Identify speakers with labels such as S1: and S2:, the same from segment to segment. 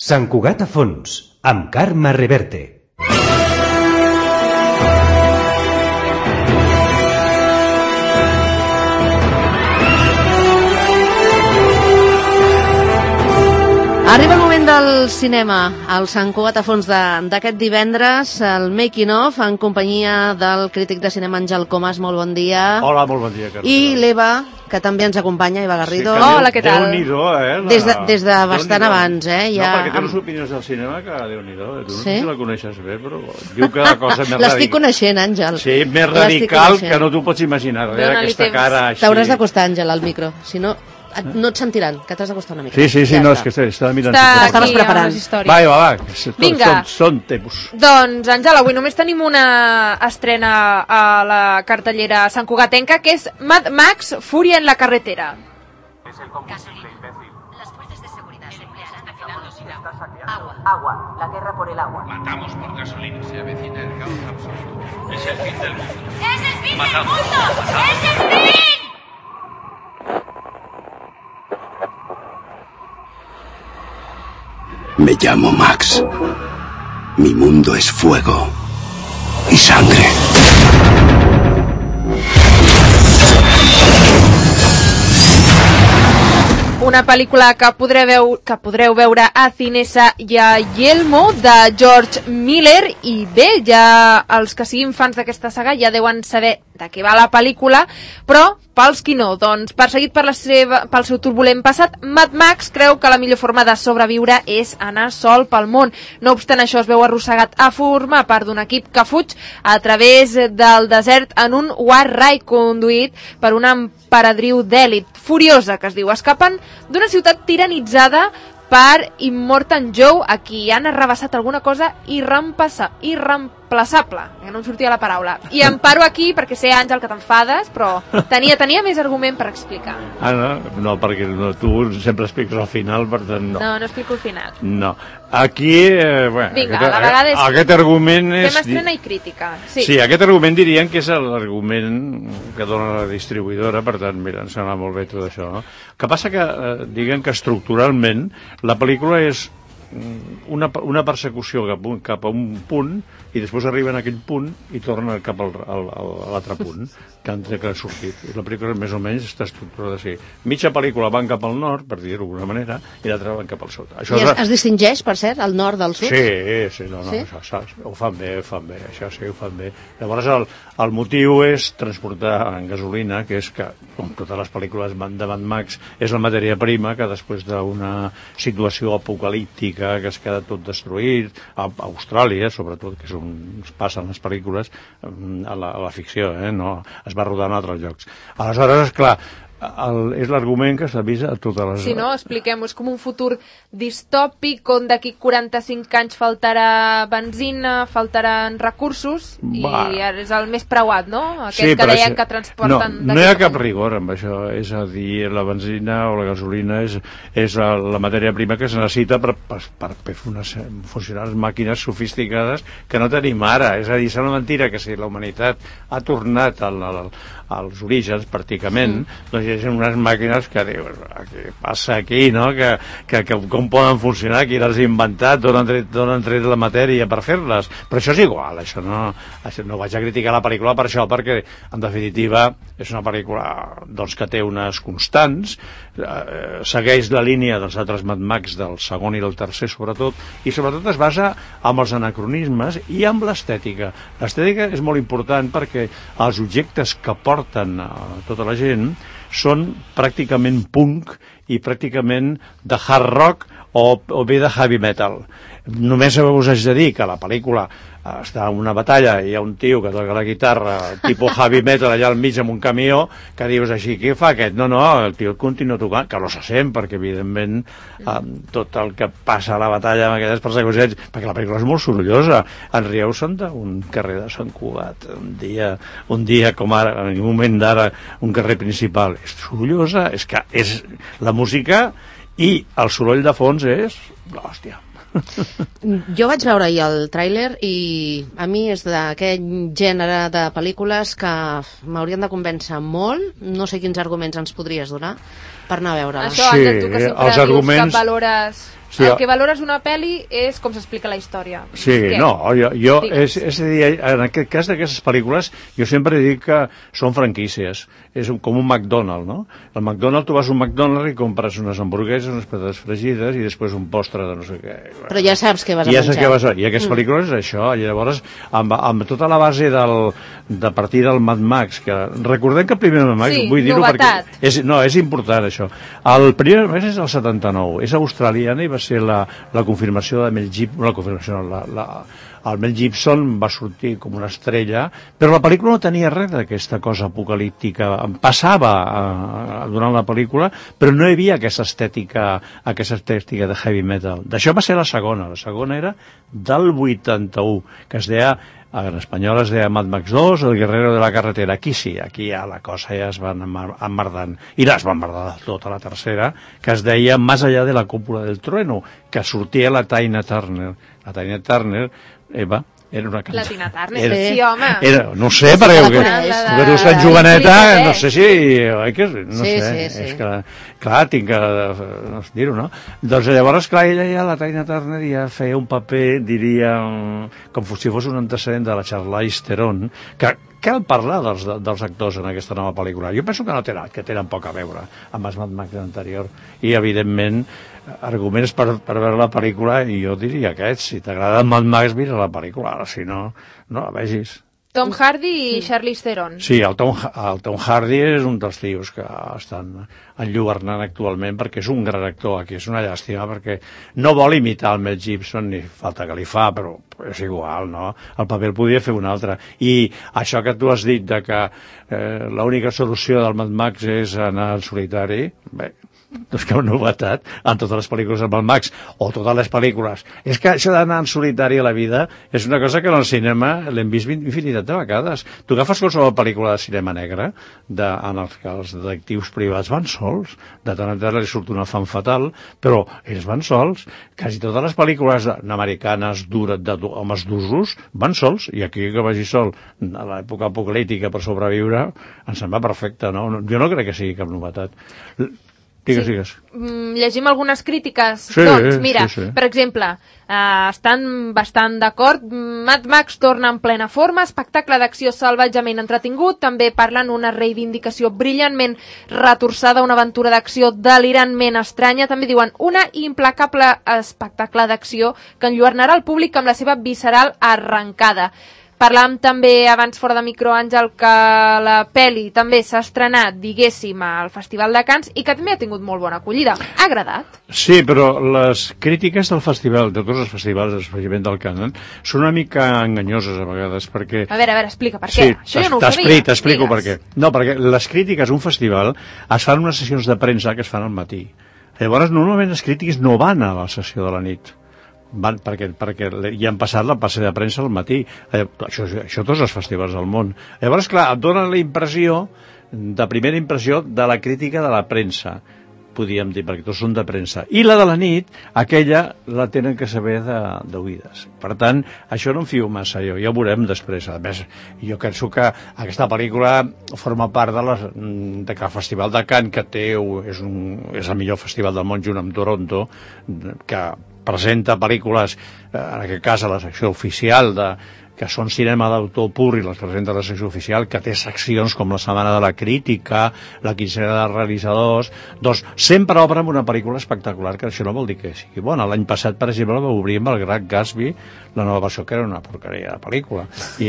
S1: Sant Cugat a fons, amb Carme Reverte.
S2: Arriba el moment del cinema, al Sant Cugat a fons d'aquest divendres, el Making of, en companyia del crític de cinema Àngel Comas. Molt bon dia.
S3: Hola, molt bon dia, Carme.
S2: I l'Eva, que també ens acompanya, Eva Garrido.
S3: Sí,
S4: hola, què tal?
S3: Déu-n'hi-do,
S2: Des de bastant abans,
S3: Ja...
S2: Ja...
S3: No, perquè té unes opinions del cinema que Déu-n'hi-do. Tu no
S2: Sí?
S3: sé si la coneixes bé, però diu que la cosa més radical...
S2: L'estic coneixent, Àngel.
S3: Sí, més radical que no t'ho pots imaginar. Aquesta cara així...
S2: T'hauràs d'acostar, Àngel, al micro. Si no, no et sentiran, que t'has d'acostar una mica.
S3: Sí,
S2: Ja
S3: no,
S2: està.
S3: és que estava mirant...
S2: Estaves preparant.
S3: Va,
S4: Vinga.
S3: són temps.
S4: Doncs, Àngel, avui només tenim una estrena a la cartellera santcugatenca, que és Mad Max, Furia en la carretera.
S5: Gasolina. Las fuerzas de seguridad se emplearán haciendo sin agua.
S6: Agua. La guerra por el agua.
S7: Matamos por gasolina. Se avecina el caos absoluto. Es el fin del mundo.
S5: ¡Es el fin
S7: Matamos.
S5: del mundo! ¡Es el fin!
S8: Me llamo Max. Mi mundo es fuego y sangre.
S4: Una pel·lícula que podreu veure a Cinesa i a Yelmo, de George Miller, i bé, ja els que siguin fans d'aquesta saga ja deuen saber de què va la pel·lícula, però pels qui no, doncs perseguit pel seu turbulent passat, Mad Max creu que la millor forma de sobreviure és anar sol pel món. No obstant això, es veu arrossegat a formar part d'un equip que fuig a través del desert en un War Ride conduït per una emperadriu d'èlit furiosa, que es diu, escapen d'una ciutat tiranitzada per Immortan Joe, a qui han arrabassat alguna cosa irreemplaçable, que no em sortia la paraula. I em paro aquí perquè sé, Àngel, que t'enfades, però tenia més argument per explicar.
S3: No, perquè tu sempre expliques al final, per tant no.
S4: No explico el final.
S3: No. Aquí,
S4: Vinga, a la vegada és...
S3: Aquest argument és...
S4: Fem estrena i crítica.
S3: Sí, aquest argument dirien que és l'argument que dona la distribuïdora, per tant, mira, em sembla molt bé tot això. No? El que passa que, diguem que estructuralment, la pel·lícula és una persecució cap a un punt i després arriben a aquell punt i tornen cap a l'altre punt que han sortit. I la pel·lícula més o menys està estructurada així. Mitja pel·lícula van cap al nord, per dir-ho d'alguna manera, i l'altra van cap al sud.
S2: I es distingeix, per cert, el nord del sud?
S3: Sí, això ho fan bé, això sí, ho fan bé. Llavors el motiu és transportar en gasolina, que és que, com totes les pel·lícules de Mad Max, és la matèria prima que després d'una situació apocalíptica que es queda tot destruït, a Austràlia, sobretot, que és on es passen les pel·lícules, a la ficció, no? Es va rodar en altres llocs. Aleshores, esclar, és l'argument que s'avisa a totes les...
S4: Si no, expliquem-ho, és com un futur distòpic on d'aquí 45 anys faltarà benzina, faltaran recursos, i és el més preuat, no? Aquest que deien que transporten...
S3: No hi ha cap rigor amb això, és a dir, la benzina o la gasolina és la matèria prima que es necessita per funcionar les màquines sofisticades que no tenim ara. És a dir, és una mentira que si la humanitat ha tornat als orígens, pràcticament, doncs hi ha unes màquines que dius, què passa aquí, no? Que com poden funcionar, qui les ha inventat, d'on han tret la matèria per fer-les, però això és igual, això no vaig a criticar la pel·lícula per això, perquè en definitiva és una pel·lícula doncs, que té unes constants, segueix la línia dels altres Mad Max, del segon i del tercer sobretot, i sobretot es basa en els anacronismes i en l'estètica. L'estètica és molt important perquè els objectes que porten a tota la gent són pràcticament punk i pràcticament de hard rock o bé de heavy metal. Només us haig de dir que la pel·lícula està en una batalla i hi ha un tio que toca la guitarra tipus heavy metal allà al mig amb un camió que dius així, què fa aquest? No, el tio continua tocant, que no se sent perquè evidentment tot el que passa a la batalla amb aquestes persecucions, perquè la pel·lícula és molt sorollosa. En Rieu són d'un carrer de Sant Cugat, un dia com ara, en un moment d'ara, un carrer principal, és sorollosa, és que és la música i el soroll de fons és l'hòstia.
S2: Jo vaig veure ahir el tràiler i a mi és d'aquest gènere de pel·lícules que m'haurien de convèncer molt. No sé quins arguments ens podries donar per anar a veure-la.
S4: Això,
S3: Sí,
S4: Àngel, tu que sempre
S3: els
S4: dius
S3: arguments-
S4: que valores...
S3: Sí,
S4: el que valores una pel·li és com s'explica la història.
S3: Sí,
S4: Què?
S3: no, jo
S4: Digues.
S3: és a dir, en aquest cas d'aquestes pel·lícules, jo sempre dic que són franquícies, és com un McDonald's, no? El McDonald's, tu vas a un McDonald's i compres unes hamburgueses, unes patates fregides i després un postre de no sé què.
S2: Però ja saps què vas a
S3: I ja saps
S2: menjar.
S3: què vas a... I aquestes pel·lícules és això, i llavors, amb tota la base de partir del Mad Max, que recordem que el primer Mad Max,
S4: Sí,
S3: vull dir-ho
S4: novetat.
S3: perquè... És important, això. El primer Mad Max és el 79, és australiana i va ser la confirmació de Mel Gibson, la confirmació, el Mel Gibson va sortir com una estrella, però la pel·lícula no tenia res d'aquesta cosa apocalíptica. Passava durant la pel·lícula, però no hi havia aquesta estètica de heavy metal. D'això va ser la segona era del 81, que es deia, en espanyol es deia Mad Max 2, El guerrero de la carretera. Aquí sí, aquí ja la cosa ja es va emmerdant. I es va emmerdar tota la tercera, que es deia Más allá de la cúpula del trueno, que sortia la Tina Turner. La Tina Turner, Eva, era una cantant.
S4: La Tina Turner, sí, home.
S3: No sé, perquè tu ets joveneta, no sé si... No
S2: Sí,
S3: sé,
S2: sí.
S3: és que, clar, tinc que dir-ho, no? Doncs llavors, clar, ella ja, la Tina Turner, ja feia un paper, diria, com si fos un antecedent de la Charlize Theron, que cal parlar dels actors en aquesta nova pel·lícula. Jo penso que tenen poc a veure amb els Mad Max anterior. I, evidentment, arguments per veure la pel·lícula, i jo diria aquests. Si t'agrada el Mad Max, mira la pel·lícula. Ara, si no, no la vegis.
S4: Tom Hardy i Charlize Theron.
S3: Sí, el Tom Hardy és un dels tios que estan enlluernant actualment perquè és un gran actor. Aquí és una llàstima perquè no vol imitar el Mel Gibson, ni falta que li fa, però és igual, no? El paper el podia fer un altre. I això que tu has dit de que l'única solució del Mad Max és anar al solitari, bé, doncs que una novetat en totes les pel·lícules del Mad Max o totes les pel·lícules. És que això d'anar en solitari a la vida és una cosa que en el cinema l'hem vist infinitat de vegades. Tu agafes qualsevol pel·lícula de cinema negre en què els detectius privats van sols, de tant en tant li surt una fan fatal, però ells van sols. Quasi totes les pel·lícules americanes d'homes d'usos van sols, i aquí que vagi sol a l'època apocalíptica per sobreviure ens en va perfecte, no? Jo no crec que sigui cap novetat. Digues.
S4: Llegim algunes crítiques.
S3: Sí,
S4: doncs, mira,
S3: sí.
S4: per exemple, estan bastant d'acord. Mad Max torna en plena forma, espectacle d'acció salvatgement entretingut, també parlen una reivindicació brillantment retorçada, una aventura d'acció delirantment estranya, també diuen una implacable espectacle d'acció que enlluernarà el públic amb la seva visceral arrencada. Parlàvem també abans fora de micro, Àngel, que la pel·li també s'ha estrenat, diguéssim, al Festival de Cannes i que també ha tingut molt bona acollida. Ha agradat?
S3: Sí, però les crítiques del festival, de tots els festivals, especialment del Cannes, són una mica enganyoses a vegades, perquè...
S4: A veure, explica per què.
S3: Sí,
S4: això jo no ho sabia.
S3: T'explico per què. No, perquè les crítiques a un festival es fan unes sessions de premsa que es fan al matí. Llavors, normalment les crítiques no van a la sessió de la nit. Van perquè ja han passat la passe de premsa al matí. Això tots els festivals del món. Llavors, clar, et dona la impressió, de primera impressió, de la crítica de la premsa, podríem dir, perquè tots són de premsa. I la de la nit, aquella la tenen que saber d'oïdes. Per tant, això no em fio massa jo, ja ho veurem després. A més, jo penso que aquesta pel·lícula forma part de que el Festival de Cannes, que és el millor festival del món junt amb Toronto, que presenta pel·lícules, en aquest cas a la secció oficial que són cinema d'autor pur i les presenta a la secció oficial, que té seccions com la Setmana de la Crítica, la Quincena de Realitzadors, doncs sempre obre amb una pel·lícula espectacular, que això no vol dir que sigui bona. L'any passat, per exemple, va obrir amb El Gran Gatsby, la nova versió, que era una porqueria de pel·lícula. I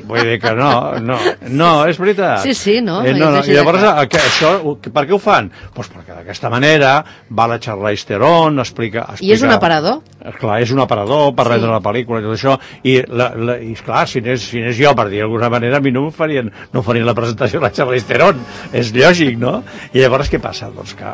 S3: vull dir que no, és veritat.
S2: Sí, no.
S3: I llavors, això, per què ho fan? Doncs perquè d'aquesta manera va la Charlize Theron, explica...
S2: I és un aparador?
S3: Clar, és un aparador per rebre la pel·lícula i tot això, i clar, si n'és jo, per dir d'alguna manera, a mi no farien la presentació de la Charlize Theron, és lògic, no? I llavors què passa? Doncs que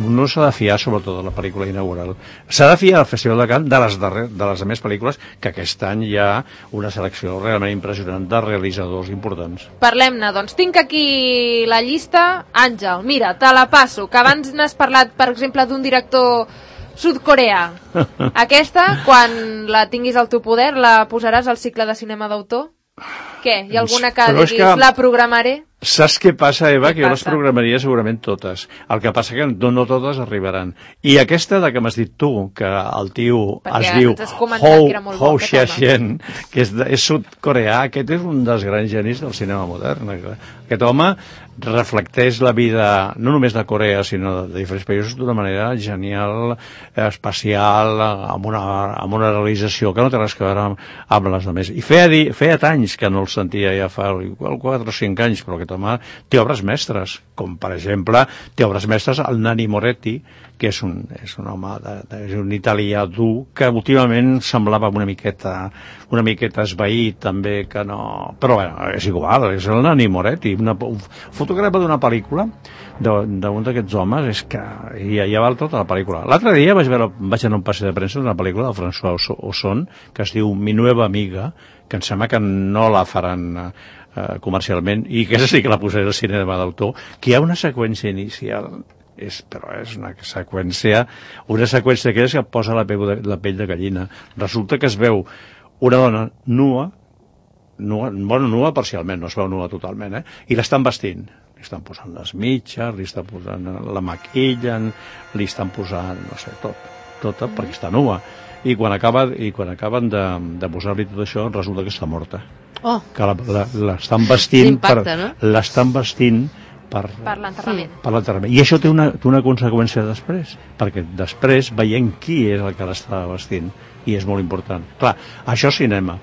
S3: no s'ha de fiar sobretot de la pel·lícula inaugural, s'ha de fiar al Festival de Cannes de les més pel·lícules, que aquest any hi ha una selecció realment impressionant de realitzadors importants.
S4: Parlem-ne, doncs tinc aquí la llista. Àngel, mira, te la passo, que abans n'has parlat, per exemple, d'un director Sud-Corea. Aquesta, quan la tinguis al teu poder, la posaràs al cicle de cinema d'autor? Què? Hi ha alguna que
S3: Però és
S4: diguis, la programaré?
S3: Saps què passa, Eva?
S4: Què
S3: Que jo les
S4: passa?
S3: programaria segurament totes. El que passa que no totes arribaran. I aquesta de que m'has dit tu, que el tio
S4: Perquè
S3: es diu
S4: ens has comentat que era molt bo,
S3: Ho
S4: aquest home.
S3: Xia-chen, que és sud-coreà, aquest és un dels grans genis del cinema modern. Aquest home reflecteix la vida, no només de Corea, sinó de diferents països d'una manera genial, especial, amb una realització que no té res a veure amb les altres. I feia anys que no el sentia, ja fa igual 4 o 5 anys, però aquest home té obres mestres, com per exemple té obres mestres el Nanni Moretti, que és un home, és un italià dur, que últimament semblava una miqueta esvaït, també, que no... Però bueno, és igual, és el Nanni Moretti, un fotògraf d'una pel·lícula d'un d'aquests homes, és que ja val tota la pel·lícula. L'altre dia vaig anar a un passeig de premsa d'una pel·lícula de François Ozon, que es diu Mi nueva amiga, que em sembla que no la faran comercialment, i que sí que la posaré al cinema d'autor, que hi ha una seqüència inicial, però és una seqüència que et posa la pell de gallina. Resulta que es veu una dona nua, nua parcialment, no es veu nua totalment, i l'estan vestint. Li estan posant les mitges, li estan posant la maquillen, li estan posant, no sé, tot perquè està nua. I quan acaben de posar-li tot això, resulta que està morta.
S2: Oh.
S3: Que l'estan vestint per l'enterrament. I això té una conseqüència després, perquè després veiem qui és el que l'estava vestint, i és molt important. Clar, això és cinema.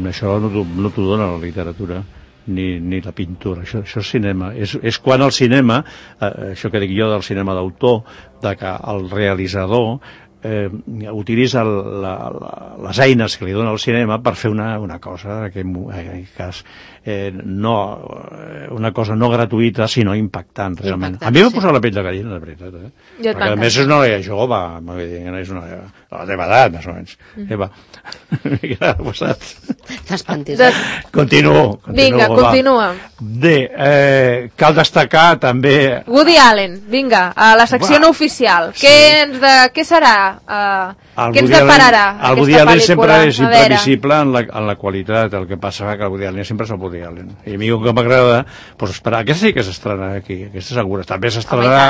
S3: Això no t'ho dona la literatura ni la pintura, això és cinema. És quan el cinema, això que dic jo del cinema d'autor, de que el realitzador utilitza les eines que li dona el cinema per fer una cosa, en aquest cas una cosa no gratuïta sinó impactant, realment. A mi m'ha posat la pell de gallina, de veritat, perquè a més és una noia jove, és una de la teva edat, més o menys. Eva, què ha passat?
S2: T'espantis.
S3: Continuo.
S4: Vinga, continua.
S3: Bé, cal destacar també...
S4: Woody Allen, vinga, a la secció no oficial. Què serà? Què ens depararà
S3: el Woody Allen sempre és imprevisible en la qualitat. El que passa que el Woody Allen sempre és el Woody Allen, i a mi el que m'agrada esperar, aquesta sí que s'estrenarà aquí, aquesta segura, també s'estrenarà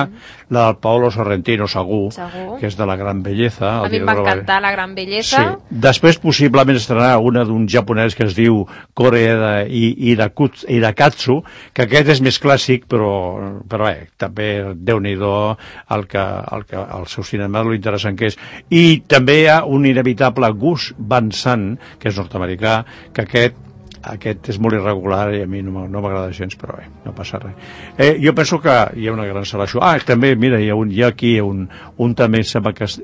S3: la del Paolo Sorrentino, segur, que és de La Gran Belleza.
S4: A mi em va encantar La Gran Belleza.
S3: Després possiblement s'estrenarà una d'un japonès que es diu Koreeda Hirakatsu, que aquest és més clàssic, però també Déu-n'hi-do el seu cinema, lo interessant que és. I també hi ha un inevitable Gus Van Sant, que és nord-americà, que aquest és molt irregular i a mi no m'agrada gens, però bé, no passa res. Jo penso que hi ha una gran selecció. També, mira, hi ha aquí un també, sembla que és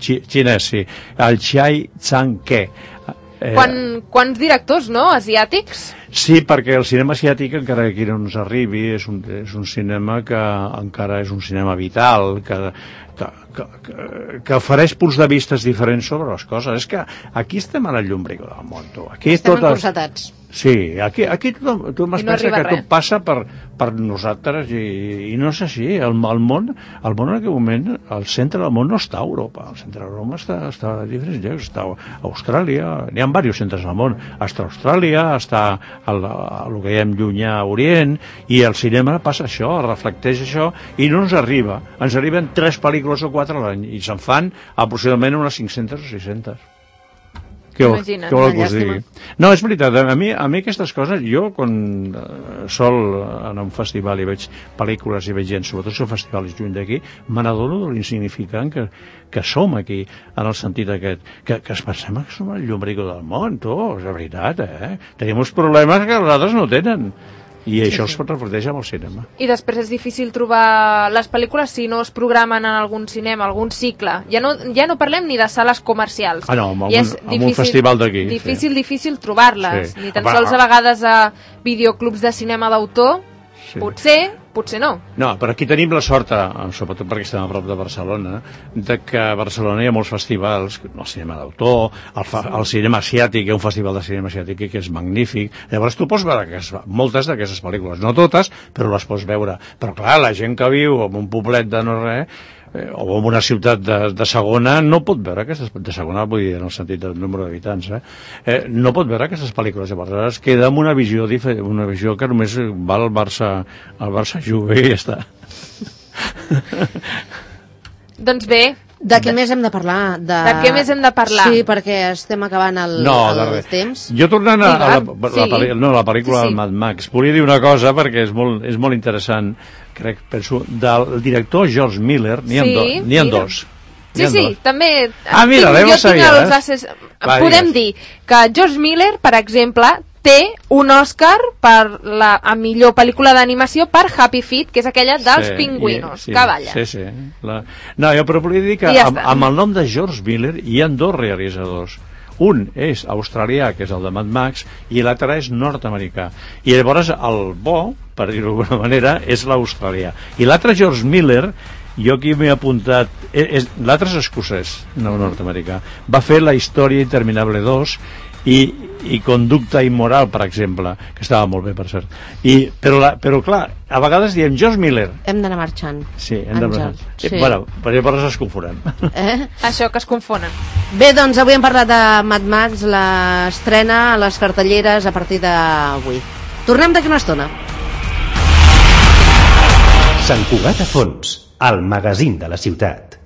S3: xinès, sí, el Chai Chang-ke.
S4: Quants directors, no?, asiàtics?
S3: Sí, perquè el cinema asiàtic, encara que aquí no ens arribi, és un cinema que encara és un cinema vital, que ofereix punts de vistes diferents sobre les coses. És que aquí estem a la llumbric del món, tu.
S2: Estem encursetats.
S3: Sí, aquí tothom es pensa que tot passa per nosaltres i no és així. El món en aquest moment, el centre del món no està a Europa, el centre del món està a diferents llocs, està a Austràlia, n'hi ha diversos centres al món, està a Austràlia, està el que diem llunyà Orient, i el cinema passa això, reflecteix això, i no ens arriben 3 pel·lícules o 4 a l'any, i se'n fan aproximadament unes 500 o 600. Què vol que us digui? No, és veritat, a mi aquestes coses, jo quan sol anar a un festival i veig pel·lícules i veig gent, sobretot si el festival és lluny d'aquí, me n'adono de l'insignificant que som aquí, en el sentit aquest, que es pensem que som el llumbrico del món, és la veritat, tenim uns problemes que els altres no tenen. I això es reflecteix amb el cinema.
S4: I després és difícil trobar les pel·lícules si no es programen en algun cinema, algun cicle. Ja no parlem ni de sales comercials.
S3: No, amb un festival d'aquí.
S4: Difícil trobar-les. Ni tan sols a vegades a videoclubs de cinema d'autor. Potser no. No, però aquí tenim la sort, sobretot perquè estem a prop de Barcelona, de que a Barcelona hi ha molts festivals, el cinema d'autor, el cinema asiàtic, hi ha un festival de cinema asiàtic que és magnífic. Llavors tu pots veure moltes d'aquestes pel·lícules, no totes, però les pots veure. Però clar, la gent que viu en un poblet de no res,
S3: o en una ciutat de segona no pot veure aquestes, de segona vull dir en el sentit del número d'habitants, no pot veure aquestes pel·lícules, llavors es queda amb una visió diferent, una visió que només va al Barça Juve i ja està.
S4: Doncs bé,
S2: De què més hem de parlar?
S4: De què més hem de parlar?
S2: Sí, perquè estem acabant el temps.
S3: Jo tornant a la pel·lícula
S4: sí.
S3: del Mad Max, volia dir una cosa perquè és molt interessant, crec, penso, del director George Miller, n'hi ha dos.
S4: Sí, també.
S3: Mira, l'hem sabia.
S4: Podem dir que George Miller, per exemple, té un Òscar a millor pel·lícula d'animació per Happy Feet, que és aquella dels pingüinos que ballen.
S3: Sí. No, jo però volia dir que amb el nom de George Miller hi ha dos realitzadors. Un és australià, que és el de Mad Max, i l'altre és nord-americà. I llavors el bo, per dir-ho d'alguna manera, és l'australià. I l'altre George Miller, jo aquí m'he apuntat, l'altre és escocès, no nord-americà. Va fer La història interminable 2 i Conducta immoral, per exemple, que estava molt bé, per cert. Però clar, a vegades diem George Miller.
S2: Hem d'anar marxant.
S3: Sí, hem d'anar marxant. Sí. Bueno, per llavors es confonen.
S4: Això, que es confonen.
S2: Bé, doncs avui hem parlat de Mad Max, l'estrena a les cartelleres a partir d'avui. Tornem d'aquí una estona.
S1: Sant Cugat a Fons, el magazín de la ciutat.